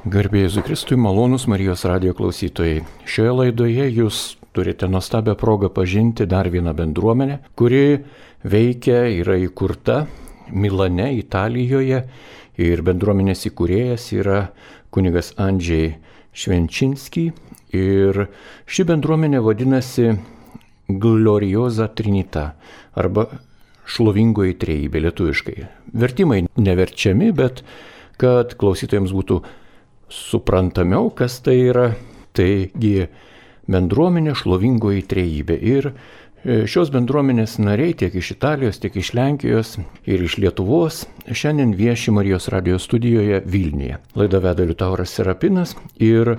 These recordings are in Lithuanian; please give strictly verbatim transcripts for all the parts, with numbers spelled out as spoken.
Garbė Jėzui Kristui, malonūs Marijos radijo klausytojai. Šioje laidoje jūs turite nuostabią progą pažinti dar vieną bendruomenę, kuri veikia, yra įkurta Milane, Italijoje, ir bendruomenės įkūrėjas yra kunigas Andžej Švenčinski. Ir ši bendruomenė vadinasi Gloriosa Trinita arba šlovingoji trejybė lietuviškai. Vertimai neverčiami, bet kad klausytojams būtų suprantamiau, kas tai yra, taigi bendruomenė šlovingoji trejybė. Ir šios bendruomenės nariai tiek iš Italijos, tiek iš Lenkijos ir iš Lietuvos šiandien vieši Marijos radijo studijoje Vilniuje. Laidą veda Liutauras Serapinas ir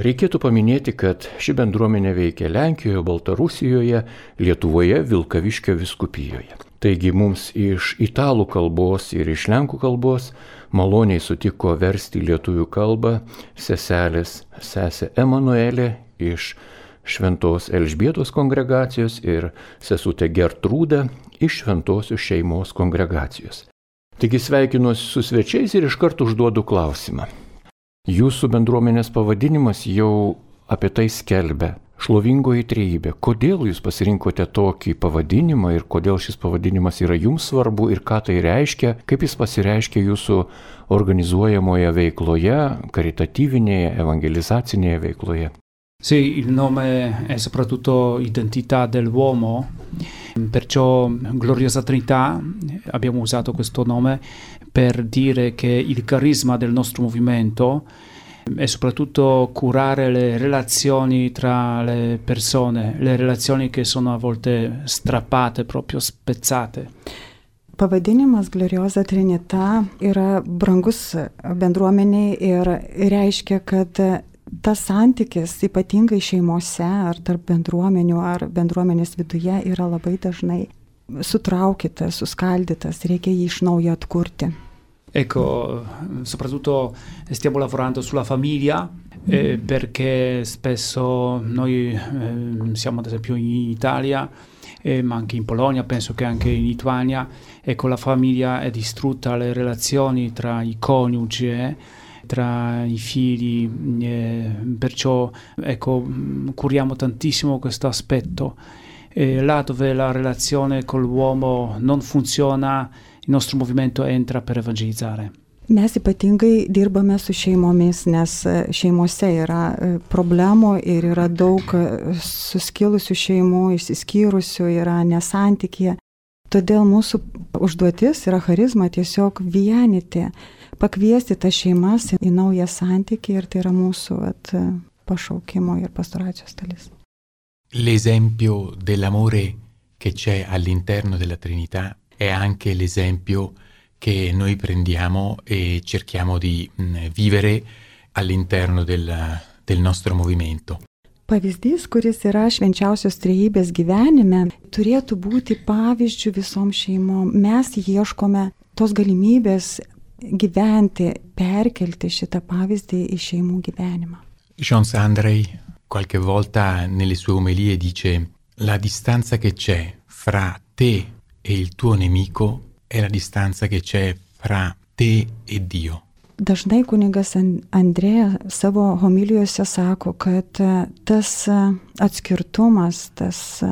reikėtų paminėti, kad ši bendruomenė veikia Lenkijoje, Baltarusijoje, Lietuvoje, Vilkaviškio vyskupijoje. Taigi mums iš italų kalbos ir iš lenkų kalbos maloniai sutiko versti lietuvių kalbą seselės sesė Emanuelė iš Šventos Elžbietos kongregacijos ir sesutė Gertrūda iš Šventosios šeimos kongregacijos. Taigi sveikinuosi su svečiais ir iš karto užduodu klausimą. Jūsų bendruomenės pavadinimas jau apie tai skelbia. Šlovingoji trejybė. Kodėl jūs pasirinkote tokį pavadinimą ir kodėl šis pavadinimas yra jums svarbu ir ką tai reiškia, kaip jis pasireiškia jūsų organizuojamoje veikloje, karitatyvinėje, evangelizacinėje veikloje? Sì, il nome è soprattutto identità dell'uomo, perciò Gloriosa Trinità abbiamo usato questo nome per dire che il carisma del nostro movimento è soprattutto curare le relazioni tra le persone, le relazioni che sono a volte strappate, proprio spezzate. Pavadinimas Gloriosa Trinita yra brangus bendruomeniai ir reiškia, kad tas santykis ypatingai šeimose ar tarp bendruomenių ar bendruomenės viduje yra labai dažnai sutraukytas, suskaldytas, reikia jį iš naujo atkurti. Ecco, soprattutto stiamo lavorando sulla famiglia eh, perché spesso noi eh, siamo ad esempio in Italia, eh, ma anche in Polonia, penso che anche in Lituania, ecco, la famiglia è distrutta, le relazioni tra i coniugi, eh, tra i figli, eh, perciò ecco, curiamo tantissimo questo aspetto. E là dove la relazione con l'uomo non funziona, il nostro movimento entra per evangelizzare. Mes ypatingai dirbame su šeimomis, nes šeimose yra problemų ir yra daug suskilusių šeimų, išsiskyrusių, yra nesantykė. Todėl mūsų užduotis yra charizma tiesiog vienyti, pakviesti tas šeimas į naują santykį ir tai yra mūsų at, pašaukimo ir pastoracijos dalis. L'esempio dell'amore che c'è all'interno della Trinità è anche l'esempio che noi prendiamo e cerchiamo di mh, vivere all'interno del, del nostro movimento. Pavyzdys, kuris yra švenčiausios trejybės gyvenime, turėtų būti pavyzdžių visom šeimom. Mes ieškome tos galimybės gyventi, perkelti šitą pavyzdį į šeimų gyvenimą. Jean Sandrey qualche volta nelle sue omelie dice: la distanza che c'è fra te e il tuo nemico è la distanza che c'è fra te e Dio. Dažnai kunigas Andrėja savo homilijose sako, kad tas atskirtumas, tas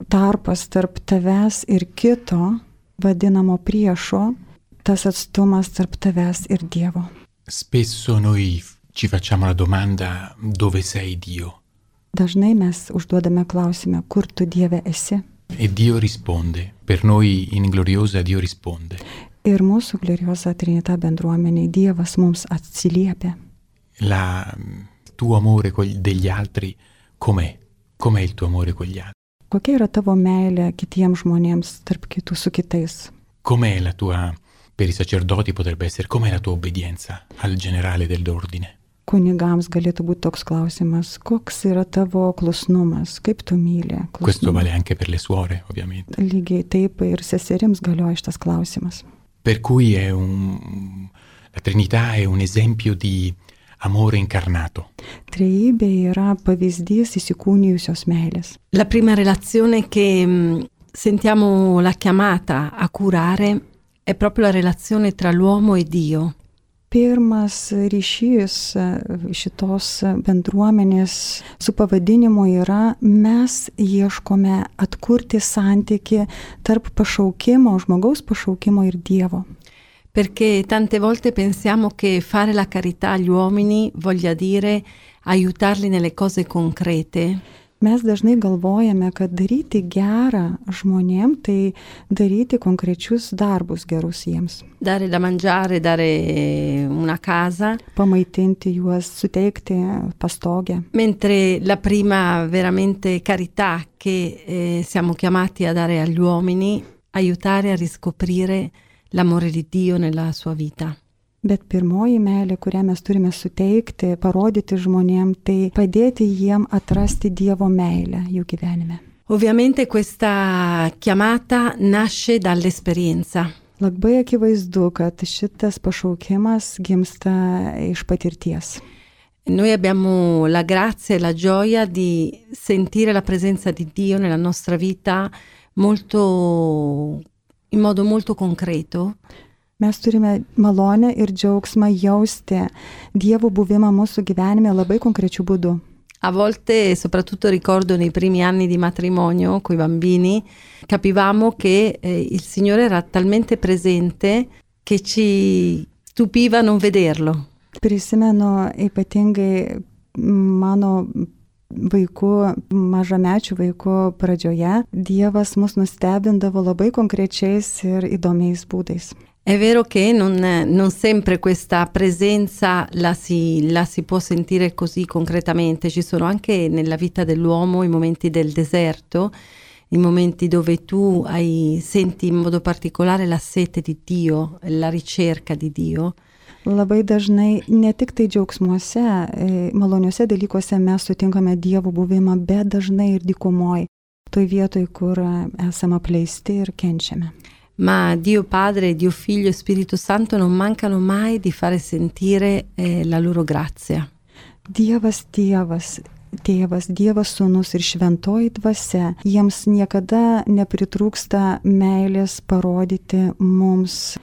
tarpas tarp tavęs ir kito, vadinamo priešo, tas atstumas tarp tavęs ir Dievo. Spesso noi ci facciamo la domanda: dove sei Dio? Dažnai mes užduodame klausimą, kur tu Dieve esi? E Dio risponde. Per noi in Gloriosa Dio risponde. Ir mūsų Gloriosa Trinita bendruomeniai Dievas mums atsiliepia. La tuo amore degli altri com'è? Com'è il tuo amore con gli altri? Kokia yra tavo meilė kitiems žmonėms, tarp kitų su kitais? Com'è la tua, per i sacerdoti potrebbe essere, com'è la tua obbedienza al generale dell'ordine? Kunigams galėtų būti toks klausimas, koks yra tavo klusnumas, kaip tu myli. Klusnumą. Questo vale anche per le suore, ovviamente. Lygiai taip ir seserims galioja šitas klausimas. Per cui è un, la Trinità è un esempio di amore incarnato. Trejybė yra pavyzdys įsikūnijusios meilės. La prima relazione che mh, sentiamo la chiamata a curare è proprio la relazione tra l'uomo e Dio. Pirmas ryšys šitos bendruomenės su pavadinimu yra mes ieškome atkurti santykį tarp pašaukimo, žmogaus pašaukimo ir Dievo. Perché tante volte pensiamo che fare la carità agli uomini voglia dire aiutarli nelle cose concrete. Mes dažnai galvojame, kad daryti gerą žmonėm, tai daryti konkrečius darbus gerus jiems. Dare da mangiare, dare una casa. Pamaitinti juos, suteikti pastogę. Mentre la prima veramente carità che eh, siamo chiamati a dare agli uomini, aiutare a riscoprire l'amore di Dio nella sua vita. Bet pirmoji meilė, kurią mes turime suteikti, parodyti žmonėm, tai padėti jiem atrasti Dievo meilę jų gyvenime. Ovviamente questa chiamata nasce dall'esperienza. Labai akivaizdu, kad šitas pašaukimas gimsta iš patirties. Noi abbiamo la grazia e la gioia di sentire la presenza di Dio nella nostra vita molto, in modo molto concreto. Mes turime malonę ir džiaugsmą jausti Dievo buvimą mūsų gyvenime labai konkrečiu būdu. A volte, soprattutto ricordo nei primi anni di matrimonio coi bambini, capivamo che eh, il Signore era talmente presente che ci stupiva non vederlo. Prisimenu ypatingai mano vaikų, mažamečių vaikų pradžioje, Dievas mus nustebindavo labai konkrečiais ir įdomiais būdais. È vero che non, non sempre questa presenza la si, la si può sentire così concretamente, ci sono anche nella vita dell'uomo i momenti del deserto, i momenti dove tu hai, senti in modo particolare la sete di Dio, la ricerca di Dio. Labai dažnai ne tik tai džiaugsmuose, maloniuose dalykuose mes sutinkame Dievo buvimą, bet dažnai ir dykumoje, toj vietoj, kur esame apleisti ir kenčiame. Ma Dio Padre, Dio Figlio e Spirito Santo non mancano mai di fare sentire eh, la loro grazia. Dievas Tėvas, Tėvas, Dievas Sūnus ir Šventoji Dvasia, jiems niekada nepritrūksta meilės parodyti mums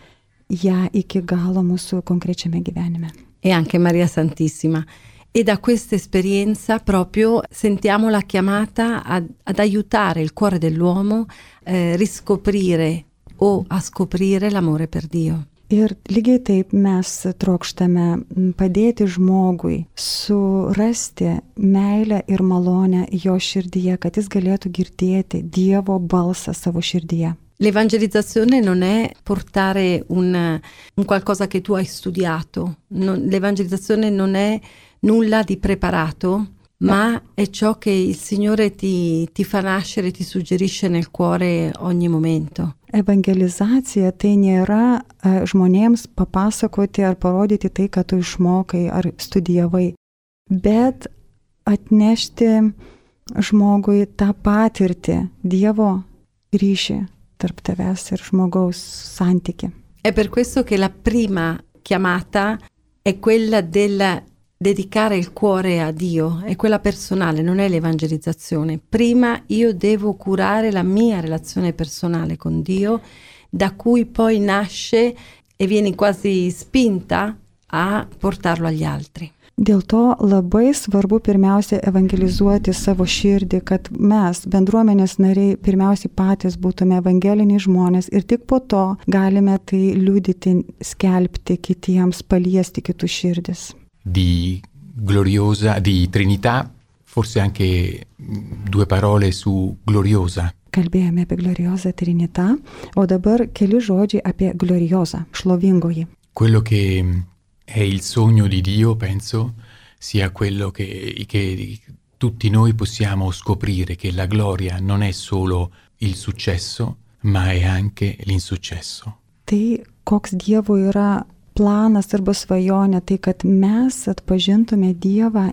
ją iki galo mūsų konkrečiame gyvenime. E anche Maria Santissima. E da questa esperienza proprio sentiamo la chiamata ad, ad aiutare il cuore dell'uomo eh, riscoprire o a scoprire l'amore per Dio. Ir lygiai taip mes trokštame padėti žmogui surasti meilę ir malonę jo širdyje, kad jis galėtų girdėti Dievo balsą savo širdyje. L'evangelizzazione non è portare un, un qualcosa che tu hai studiato, non, l'evangelizzazione non è nulla di preparato, ma è ciò che il Signore ti, ti fa nascere, ti suggerisce nel cuore ogni momento. Evangelizacija tai nėra žmonėms papasakoti ar parodyti tai, ką tu išmokai ar studijavai, bet atnešti žmogui tą patirtį, Dievo ryšį tarp tavęs ir žmogaus santykį. È per questo che la prima chiamata è quella del dedicare il cuore a Dio, è quella personale, non è l'evangelizzazione. Prima io devo curare la mia relazione personale con Dio, da cui poi nasce e vieni quasi spinta a portarlo agli altri. Dėl to labai svarbu pirmiausia evangelizuoti savo širdį, kad mes, bendruomenės nariai, pirmiausiai patys būtume evangeliniai žmonės ir tik po to galime tai liudyti, skelbti kitiems, paliesti kitų širdis. Di gloriosa, di Trinità, forse anche due parole su gloriosa. Kalbėjome apie gloriozą Trinità, o dabar keli žodžiai apie gloriozą, šlovingoji. Quello che è il sogno di Dio, penso, sia quello che, che tutti noi possiamo scoprire, che la gloria non è solo il successo, ma è anche l'insuccesso. Tai koks Dievo yra planas arba svajonė, tai kad mes atpažintume Dievą,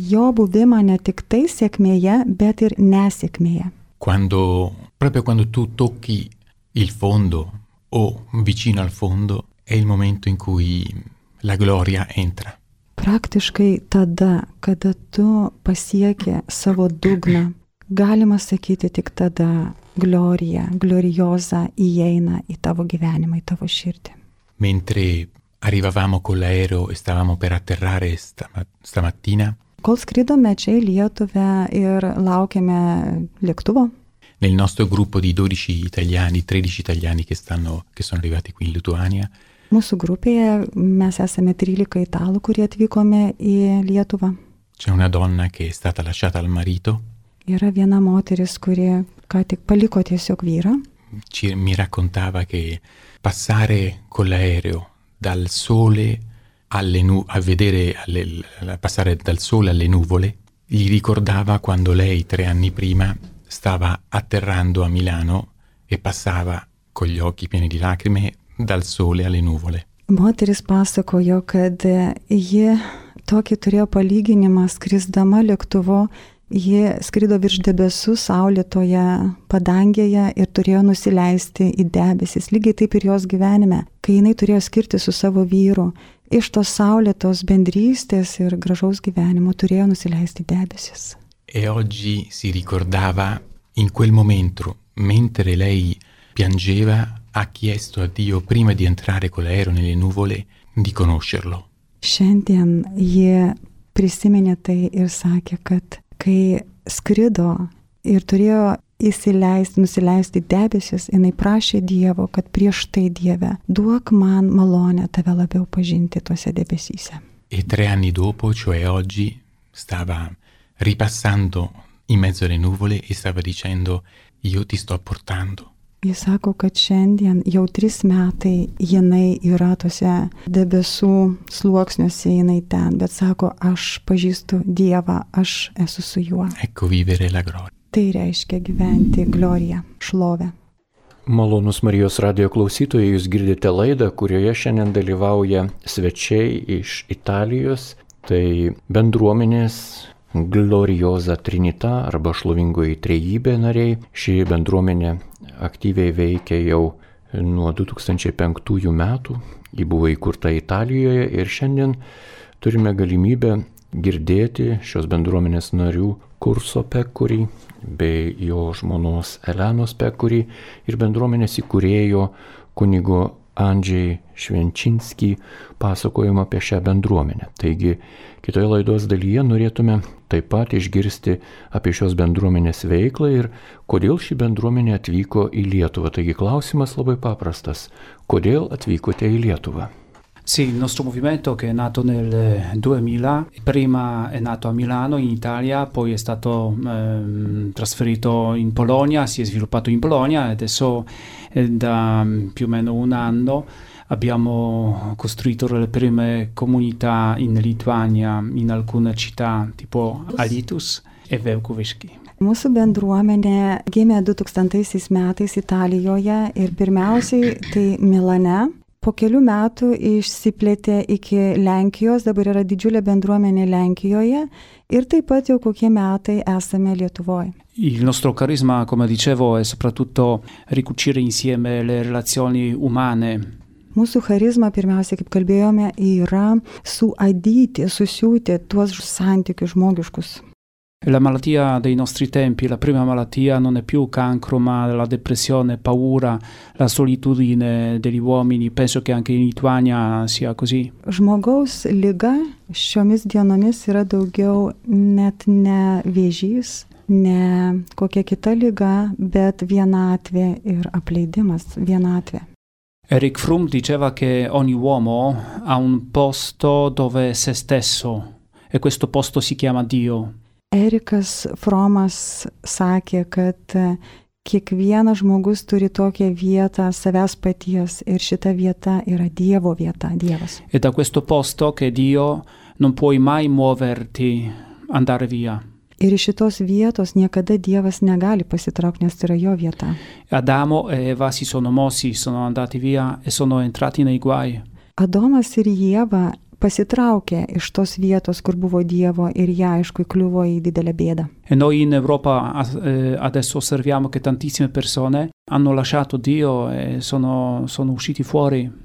jo buvimą ne tik tai sėkmėje, bet ir nesėkmėje. Quando, proprio quando tu tocchi il fondo o vicino al fondo, è il momento in cui la gloria entra. Praktiškai tada, kada tu pasieki savo dugną, galima sakyti tik tada glorija, glorioza įeina į tavo gyvenimą, į tavo širdį. Mentre arrivavamo con l'aereo e stavamo per atterrare stama- stamattina, Kol skridome čia į Lietuvą ir laukėme lėktuvo, nel nostro gruppo di dodici italiani, tredici italiani che, stanno, che sono arrivati qui in Lituania, mūsų grupėje mes esame trylika italų, kurie atvykome į Lietuvą. c'è una donna che è stata lasciata al marito. Yra viena moteris, kuri ką tik paliko tiesiog vyrą. Ci, mi raccontava che passare con l'aereo dal sole alle nu- a vedere alle, a passare dal sole alle nuvole gli ricordava quando lei tre anni prima stava atterrando a Milano e passava con gli occhi pieni di lacrime dal sole alle nuvole. Moteris pasakojo, kad ji tokį turėjo palyginimą skrisdama lėktuvo, ji skrido virš debesų saulėtoje padangėje ir turėjo nusileisti į debesis. Lygiai taip ir jos gyvenime, kai jinai turėjo skirti su savo vyru, iš tos saulėtos bendrystės ir gražaus gyvenimo turėjo nusileisti į debesis. E oggi si ricordava in quel momento, mentre lei piangeva, ha chiesto a Dio prima di entrare con l'aereo nelle nuvole di conoscerlo. Šiandien ji prisiminė tai ir sakė, kad kai skrido ir turėjo įsileisti, nusileisti debesis, jinai prašė Dievo, kad prieš tai Dieve duok man malonę tave labiau pažinti tuose debesyse. E tre anni dopo, cioè oggi, stava ripassando in mezzo alle nuvole e stava dicendo: io ti sto portando. Jis sako, kad šiandien jau tris metai jinai yra tuose debesų sluoksniuose, jinai ten, bet sako, aš pažįstu Dievą, aš esu su juo. Ecco vivere la gloria. Tai reiškia gyventi gloriją, šlovę. Malonus Marijos radijo klausytojai, jūs girdite laidą, kurioje šiandien dalyvauja svečiai iš Italijos, tai bendruomenės Gloriosa Trinita arba šlovingoji trejybė nariai. Ši bendruomenė aktyviai veikia jau nuo du tūkstančiai penktųjų metų. Ji buvo įkurta Italijoje ir šiandien turime galimybę girdėti šios bendruomenės narių Kurso Pekuri bei jo žmonos Elenos Pekuri ir bendruomenės įkūrėjo kunigo Andžiai Švenčinskį pasakojimą apie šią bendruomenę. Taigi, kitoje laidos dalyje norėtume taip pat išgirsti apie šios bendruomenės veiklą ir kodėl ši bendruomenė atvyko į Lietuvą. Taigi, klausimas labai paprastas. Kodėl atvykote į Lietuvą? Sì, il nostro movimento che è nato nel duemila, prima è nato a Milano in Italia, poi è stato ehm, trasferito in Polonia, si è sviluppato in Polonia e adesso eh, da più o meno un anno abbiamo costruito le prime comunità in Lituania, in alcune città tipo Alytus e Vilkavišky. Mūsų bendruomenė gimė du tūkstantaisiais metais Italijoje ir pirmiausiai tai Milane. Po kelių metų išsiplėtė iki Lenkijos, dabar yra didžiulė bendruomenė Lenkijoje ir taip pat jau kokie metai esame Lietuvoje. Il nostro carisma, come dicevo, è soprattutto ricucire insieme le relazioni umane. Mūsų charizma, pirmiausia, kaip kalbėjome, yra suadyti, susiūti tuos santykius žmogiškus. La malattia dei nostri tempi, la prima malattia non è più cancro, ma la depressione, paura, la solitudine degli uomini. Penso che anche in Lituania sia così. Žmogaus liga šiomis dienomis yra daugiau net ne vėžys, ne kokia kita liga, bet vienatvė ir apleidimas, vienatvė. Eric Fromm diceva che ogni uomo ha un posto dove è se stesso e questo posto si chiama Dio. Erikas Fromas sakė, kad kiekvienas žmogus turi tokią vietą savęs paties ir šita vieta yra Dievo vieta, Dievas. E da questo posto che Dio non puoi mai muoverti, andare via. Ir iš šitos vietos niekada Dievas negali pasitraukti, nes tai yra jo vieta. Adamo e Eva si sono mossi, sono andati via e sono entrati nei guai. Adomas ir Ieva pasitraukė iš tos vietos, kur buvo Dievo ir jie aišku įkliuvo į didelę bėdą. E noi in Europa eh, adesso osserviamo che tantissime persone hanno lasciato Dio e sono, sono usciti fuori.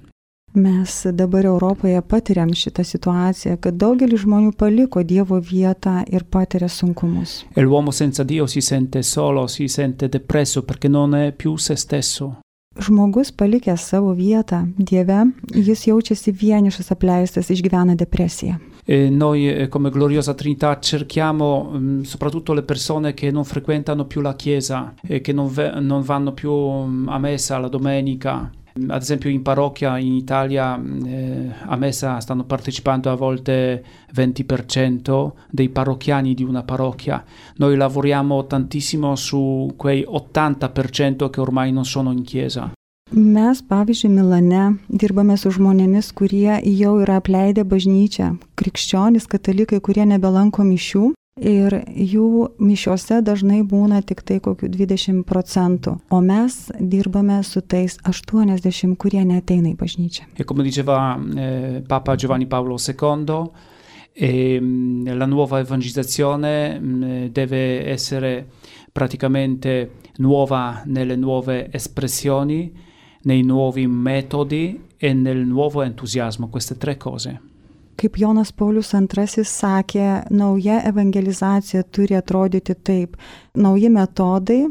Mes dabar Europoje patiriam šitą situaciją, kad daugelis žmonių paliko Dievo vietą ir patiria sunkumus. E l'uomo senza Dio si sente solo, si sente depresso perché non è più se stesso. žmogus palikęs savo vietą Dieve, jis jaučiasi vienišas, apleistas, išgyvena depresiją. E noi come Gloriosa Trinità cerchiamo mh, soprattutto le persone che non frequentano più la chiesa e che non, ve- non vanno più a messa la domenica. Ad esempio in parrocchia in Italia eh, a messa stanno partecipando a volte venti per cento dei parrocchiani di una parrocchia. Noi lavoriamo tantissimo su quei ottanta per cento che ormai non sono in chiesa. Mes, pavyzdžiui, Milane dirbame su žmonėmis, kurie jau yra apleidę bažnyčią, krikščionys, katalikai, kurie nebelanko mišių ir jų mišiose dažnai būna tik tai kokių dvidešimt procentų, o mes dirbame su tais aštuoniasdešimt, kurie neateina į bažnyčią. E come diceva eh, Papa Giovanni Paolo secondo, eh, la nuova evangelizzazione eh, deve essere praticamente nuova nelle nuove espressioni, nei nuovi metodi e nel nuovo entusiasmo, queste tre cose. Kaip Jonas Paulius antrasis sakė, nauja evangelizacija turi atrodyti taip. Nauji metodai,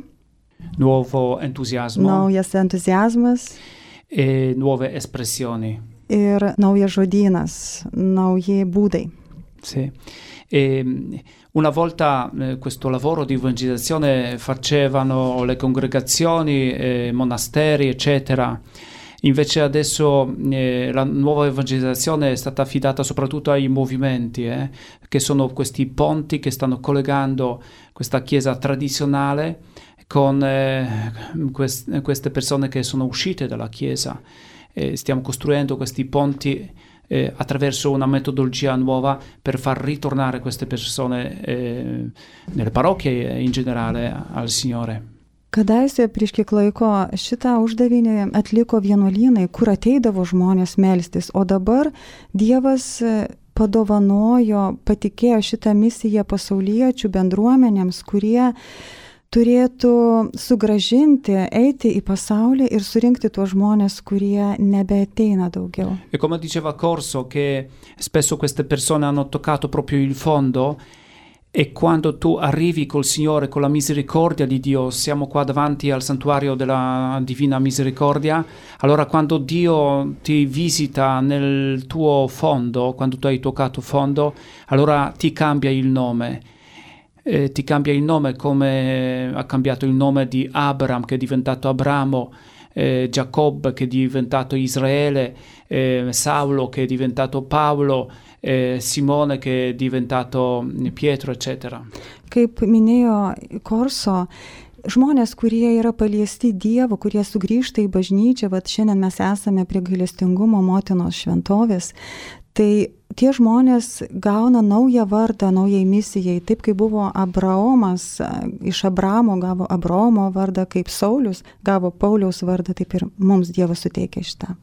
nuovo entusiasmo, naujas entuziazmas e nuove espressioni. Ir naujas žodynas, nauji būdai. Sì. E una volta eh, questo lavoro di evangelizzazione facevano le congregazioni, eh, monasteri, eccetera. Invece adesso eh, la nuova evangelizzazione è stata affidata soprattutto ai movimenti, eh, che sono questi ponti che stanno collegando questa chiesa tradizionale con eh, quest- queste persone che sono uscite dalla chiesa. Eh, stiamo costruendo questi ponti Eh, attraverso una metodologia nuova per far ritornare queste persone eh, nelle parrocchie e in generale al Signore. Kadaise prieš kiek laiko šitą uždavinį atliko vienuolynai, kur ateidavo žmonės melstis, o dabar Dievas padovanojo, patikėjo šitą misiją pasauliečių bendruomenėms, kurie turėtų sugrąžinti, eiti į pasaulį ir surinkti tuos žmonės, kurie nebeateina daugiau. E come diceva Corso, che spesso queste persone hanno toccato proprio il fondo, e quando tu arrivi col Signore, con la misericordia di Dio, siamo qua davanti al santuario della Divina Misericordia, allora quando Dio ti visita nel tuo fondo, quando tu hai toccato fondo, allora ti cambia il nome. Eh, ti cambia il nome come ha cambiato il nome di Abram, che è diventato Abramo, eh, Giacobbe che è diventato Israele, eh, Saulo che è diventato Paolo, eh, Simone che è diventato Pietro, eccetera. Kaip minėjo Korso, žmonės, kurie yra paliesti Dievo, kurie sugrįžta į bažnyčią, vat šiandien mes esame prie gailestingumo motinos šventovės, tai tie žmonės gauna naują vardą naujai misijai, taip kaip buvo Abraomas, iš Abramo gavo Abraomo vardą, kaip Saulius gavo Pauliaus vardą, taip ir mums Dievas suteikia šitą.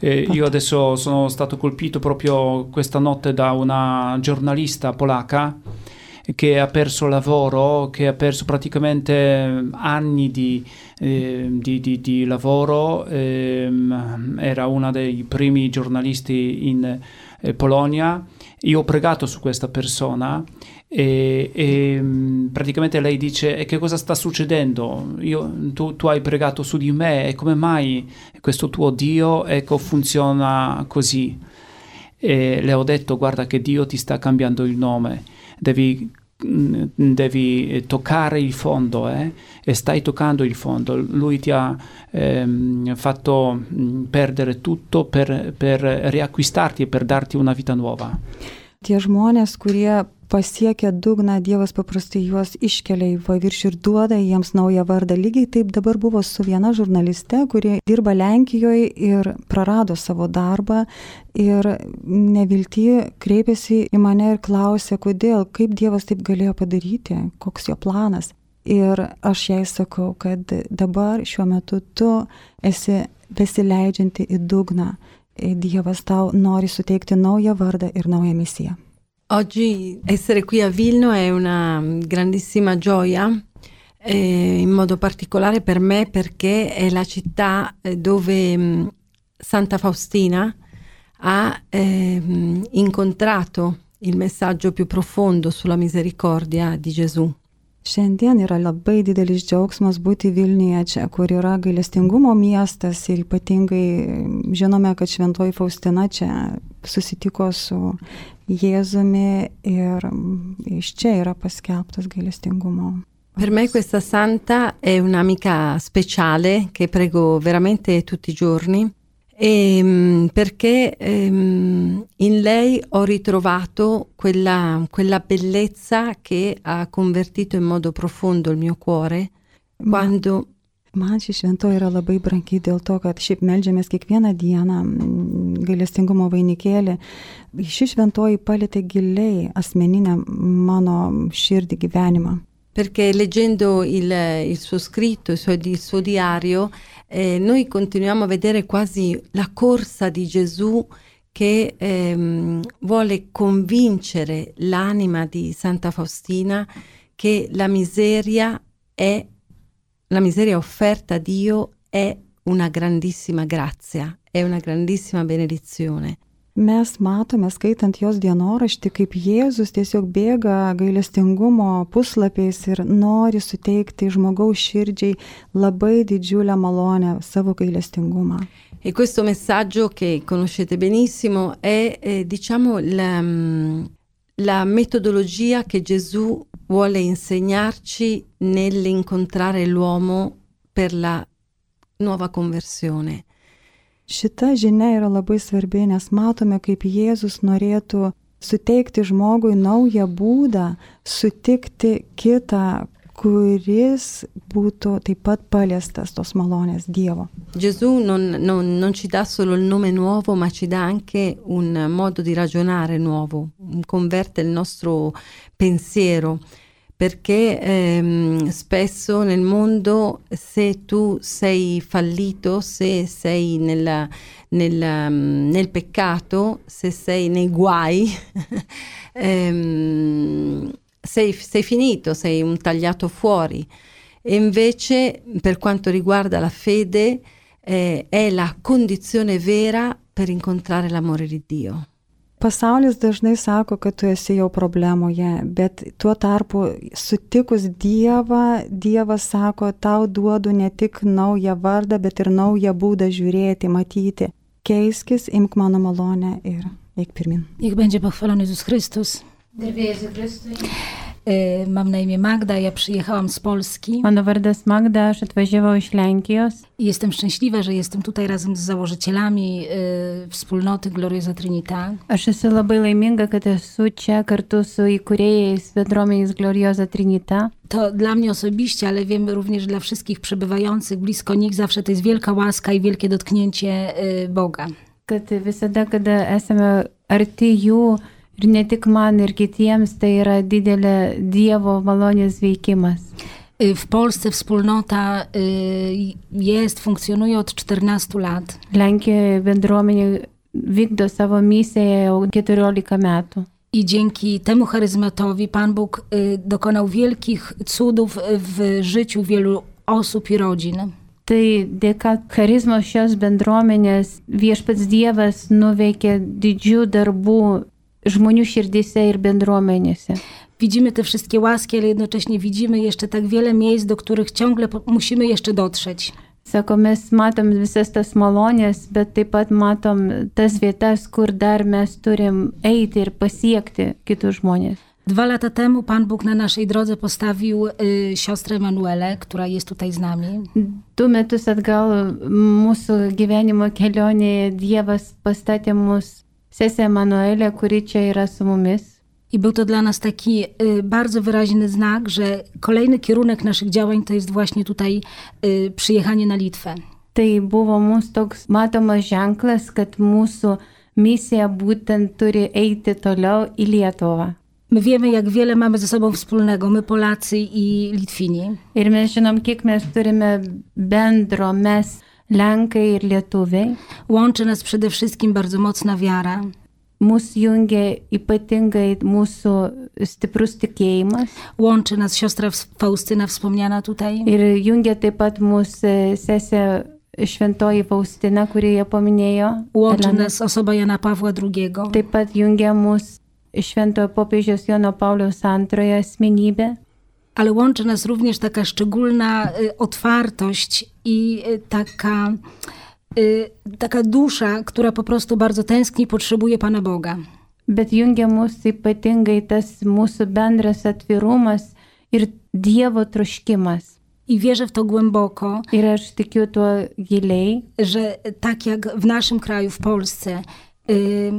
Eh, io adesso sono stato colpito proprio questa notte da una giornalista polacca che ha perso lavoro, che ha perso praticamente anni di, eh, di, di, di lavoro, eh, era una dei primi giornalisti in eh, Polonia. Io ho pregato su questa persona e, e praticamente lei dice: e che cosa sta succedendo? Io, tu, tu hai pregato su di me, e come mai questo tuo Dio, ecco, funziona così? E le ho detto: guarda che Dio ti sta cambiando il nome, devi, devi toccare il fondo, eh? E stai toccando il fondo. Lui ti ha ehm, fatto perdere tutto per, per riacquistarti e per darti una vita nuova. Tie žmonės, kurie pasiekia dugną, Dievas paprastai juos iškelia į paviršių ir duoda jiems naują vardą. Lygiai taip dabar buvo su viena žurnaliste, kuri dirba Lenkijoje ir prarado savo darbą ir nevilty kreipėsi į mane ir klausė, kodėl, kaip Dievas taip galėjo padaryti, koks jo planas. Ir aš jai sakau, kad dabar šiuo metu tu esi besileidžianti į dugną. Dievas tau nori suteikti naują vardą ir naują misiją. Oggi essere qui a Vilno è una grandissima gioia, eh, in modo particolare per me perché è la città dove mh, Santa Faustina ha eh, incontrato il messaggio più profondo sulla misericordia di Gesù. Šiandien yra labai didelis džiaugsmas būti Vilniuje, čia, kur yra gailestingumo miestas ir ypatingai žinome, kad Šventoji Faustina čia susitiko su Jėzumi ir iš čia yra paskelbtas gailestingumo. Per me questa santa è un'amica speciale che prego veramente tutti i giorni. E, perché ehm, in lei ho ritrovato quella, quella bellezza che ha convertito in modo profondo il mio cuore quando... Man ši šventoji yra labai brangi dėl to, kad šiaip meldžiamės kiekvieną dieną gailestingumo vainikėlį. Ši šventoji palietė giliai asmeninę mano širdį gyvenimą. Perché leggendo il, il suo scritto, il suo, il suo diario, eh, noi continuiamo a vedere quasi la corsa di Gesù che ehm, vuole convincere l'anima di Santa Faustina che la miseria è, la miseria offerta a Dio è una grandissima grazia, è una grandissima benedizione. Mes matome, skaitant jos dienoraštį, kaip Jėzus tiesiog bėga gailestingumo puslapiais ir nori suteikti žmogaus širdžiai labai didžiulę malonę, savo gailestingumą. E questo messaggio che conoscete benissimo è, eh, diciamo, la, la metodologia che Gesù vuole insegnarci nell'incontrare l'uomo per la nuova conversione. Šita žinia yra labai svarbi, nes matome, kaip Jėzus norėtų suteikti žmogui naują būdą, sutikti kitą, kuris būtų taip pat paliestas tos malonės Dievo. Gesù non, non, non ci dà solo il nome nuovo, ma ci dà anche un modo di ragionare nuovo, converte il nostro pensiero. Perché ehm, spesso nel mondo, se tu sei fallito, se sei nella, nella, nel peccato, se sei nei guai, ehm, sei, sei finito, sei un tagliato fuori. E invece, per quanto riguarda la fede, eh, è la condizione vera per incontrare l'amore di Dio. Pasaulis dažnai sako, kad tu esi jau problemoje, bet tuo tarpu sutikus Dievą, Dievas sako, tau duodu ne tik naują vardą, bet ir naują būdą žiūrėti, matyti. Keiskis, imk mano malonę ir eik pirmin. Niech będzie pochwalony Jezus Chrystus. Mam na imię Magda, ja przyjechałam z Polski. Mano vardas Magda, aš atvažiavau iš Lenkijos. I jestem szczęśliwa, że jestem tutaj razem z założycielami y, wspólnoty Gloriosa Trinita. Aš esu labai laiminga, kad esu čia kartu su įkūrėjais bendruomenės Gloriosa Trinita. To dla mnie osobiście, ale wiem również dla wszystkich przebywających blisko nich, zawsze to jest wielka łaska i wielkie dotknięcie y, Boga. Kad visada, kada esame arti jų, ir ne tik man, ir kitiems, tai yra didelė Dievo malonės veikimas. W Polsce wspólnota y, jest, funkcjonuje od czternastu lat. Lenkijoje bendruomenė vykdo savo misiją jau keturiolika metų. I dzięki temu charyzmatowi Pan Bóg y, dokonał wielkich cudów w życiu wielu osób i rodzin. Tai dėka charizmos šios bendruomenės viešpats Dievas nuveikė didžių darbų žmonių širdyse ir bendruomenėse. Widzimy te wszystkie łaski, ale jednocześnie widzimy jeszcze tak wiele miejsc, do których ciągle musimy jeszcze dotrzeć. Sako, mes matom visas tas malonės, bet taip pat matom tas vietas, kur dar mes turim eiti ir pasiekti kitus žmonės. Dwa lata temu Pan Bóg na naszej drodze postawił y, siostrę Emanuelę, która jest tutaj z nami. Du metus atgal mūsų gyvenimo kelionėje Dievas pastatė mus sesę Emanuelę, kuri čia yra su mumis. I był to dla nas taki y, bardzo wyraźny znak, że kolejny kierunek naszych działań to jest właśnie tutaj y, przyjechanie na Litwę. Tai buvo mums toks matomas ženklas, kad mūsų misija būtent turi eiti toliau į Lietuvą. My wiemy, jak wiele mamy ze sobą wspólnego, my Polacy i Litwini. Ir mes žinom, kiek mes turime bendro, mes Lenkai ir Lietuviai. Łączy nas przede wszystkim bardzo mocna wiara. Mūsų jungia ypatingai mūsų stiprus tikėjimas. Łączy nas siostra Faustyna wspomniana tutaj. Ir jungia taip pat mūsų sesė Šventoji Faustina, kuri ją paminėjo. Łączy Elena. Nas osoba Jana Pawła drugiego. Taip pat jungia mūsų Šventojo popiežiaus Jono Pauliaus antrojo asmenybė. ale łączy nas również taka szczególna y, otwartość i y, taka, y, taka dusza, która po prostu bardzo tęskni, potrzebuje Pana Boga. Bet jungia mus ypatingai tas mūsų bendras atvirumas ir Dievo troškimas. I wierzę w to głęboko, Ir aš tikiu tuo giliai, że tak jak w naszym kraju, w Polsce, y,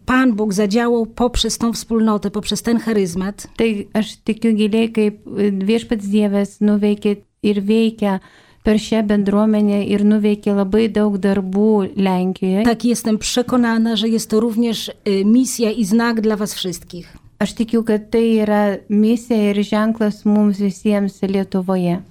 Pan Bóg zadziałał poprzez tą wspólnotę, poprzez ten charyzmat. tai aš tikiu giliai, kaip viešpats Dievas nuveikė ir veikia per šią bendruomenę ir nuveikė labai daug darbų Lenkijoje. Tak, jestem przekonana, że jest to również y, misja i znak dla was wszystkich. Aš tikiu, kad tai yra misija ir ženklas mums visiems Lietuvoje.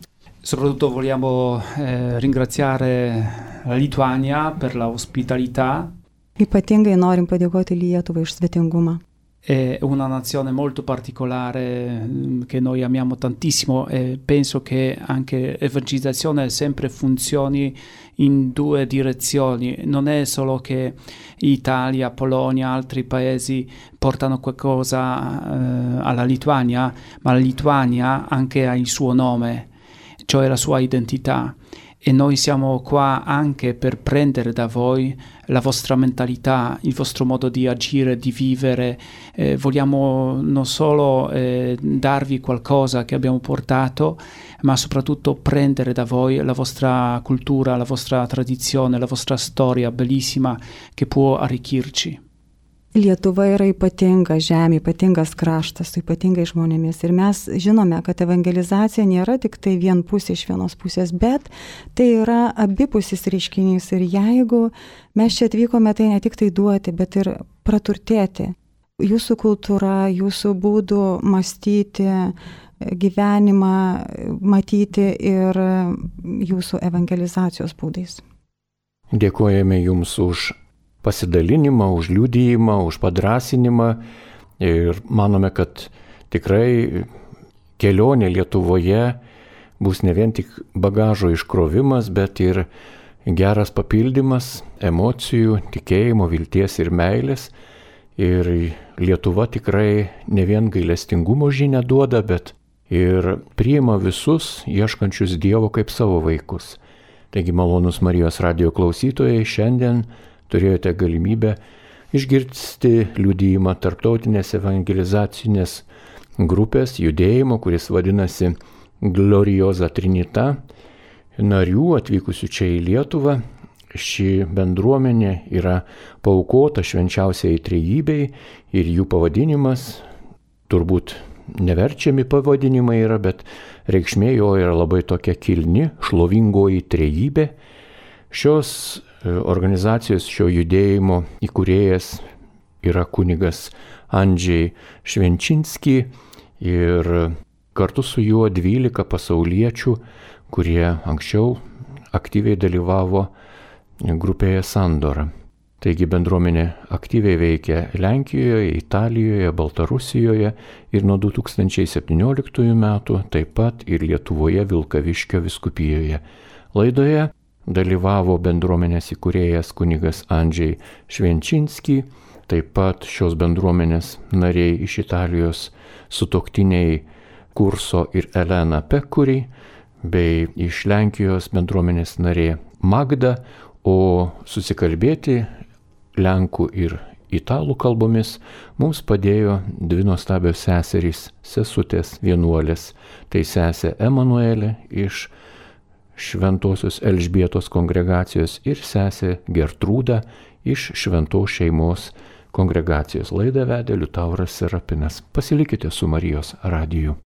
Soprattutto vogliamo eh, ringraziare la Lituania per la ospitalità. Ypatingai norim padėkoti Lietuvai už svetingumą. È una nazione molto particolare che noi amiamo tantissimo e penso che anche l'evangelizzazione sempre funzioni in due direzioni. Non è solo che Italia, Polonia, altri paesi portano qualcosa eh, alla Lituania, ma la Lituania anche ha il suo nome, cioè la sua identità. E noi siamo qua anche per prendere da voi la vostra mentalità, il vostro modo di agire, di vivere. Eh, vogliamo non solo eh, darvi qualcosa che abbiamo portato, ma soprattutto prendere da voi la vostra cultura, la vostra tradizione, la vostra storia bellissima che può arricchirci. Lietuva yra ypatinga žemė, ypatingas kraštas, su ypatingais žmonėmis. Ir mes žinome, kad evangelizacija nėra tik tai vienpusė iš vienos pusės, bet tai yra abipusis reiškinys. Ir jeigu mes čia atvykome, tai ne tik tai duoti, bet ir praturtėti. Jūsų kultūra, jūsų būdų mąstyti, gyvenimą matyti ir jūsų evangelizacijos būdais. Dėkojame Jums už pasidalinimą, už liudijimą, už padrasinimą ir manome, kad tikrai kelionė Lietuvoje bus ne vien tik bagažo iškrovimas, bet ir geras papildymas emocijų, tikėjimo, vilties ir meilės. Ir Lietuva tikrai ne vien gailestingumo žinią duoda, bet ir priima visus ieškančius Dievo kaip savo vaikus. Taigi malonus Marijos radijo klausytojai, šiandien turėjote galimybę išgirsti liudijimą tarptautinės evangelizacinės grupės judėjimo, kuris vadinasi Gloriosa Trinita, narių atvykusių čia į Lietuvą. Ši bendruomenė yra paaukota švenčiausiai trejybei ir jų pavadinimas, turbūt neverčiami pavadinimai yra, bet reikšmė jo yra labai tokia kilni, šlovingoji trejybė. Šios organizacijos, šio judėjimo įkūrėjas yra kunigas Andžiai Švenčinski ir kartu su juo dvylika pasauliečių, kurie anksčiau aktyviai dalyvavo grupėje Sandora. Taigi bendruomenė aktyviai veikia Lenkijoje, Italijoje, Baltarusijoje ir nuo du tūkstančiai septynioliktųjų metų taip pat ir Lietuvoje Vilkaviškio vyskupijoje. Laidoje dalyvavo bendruomenės įkūrėjas kunigas Andžiai Švenčinski, taip pat šios bendruomenės nariai iš Italijos sutuoktiniai Kurso ir Elena Pekuri, bei iš Lenkijos bendruomenės narė Magda, o susikalbėti lenkų ir italų kalbomis mums padėjo dvi nuostabios seserys, sesutės vienuolės. Tai sesė Emanuelė iš Šventosios Elžbietos kongregacijos ir sesė Gertrūda iš Šventos šeimos kongregacijos. Laidą vedė Liutauras Serapinas. Pasilikite su Marijos radiju.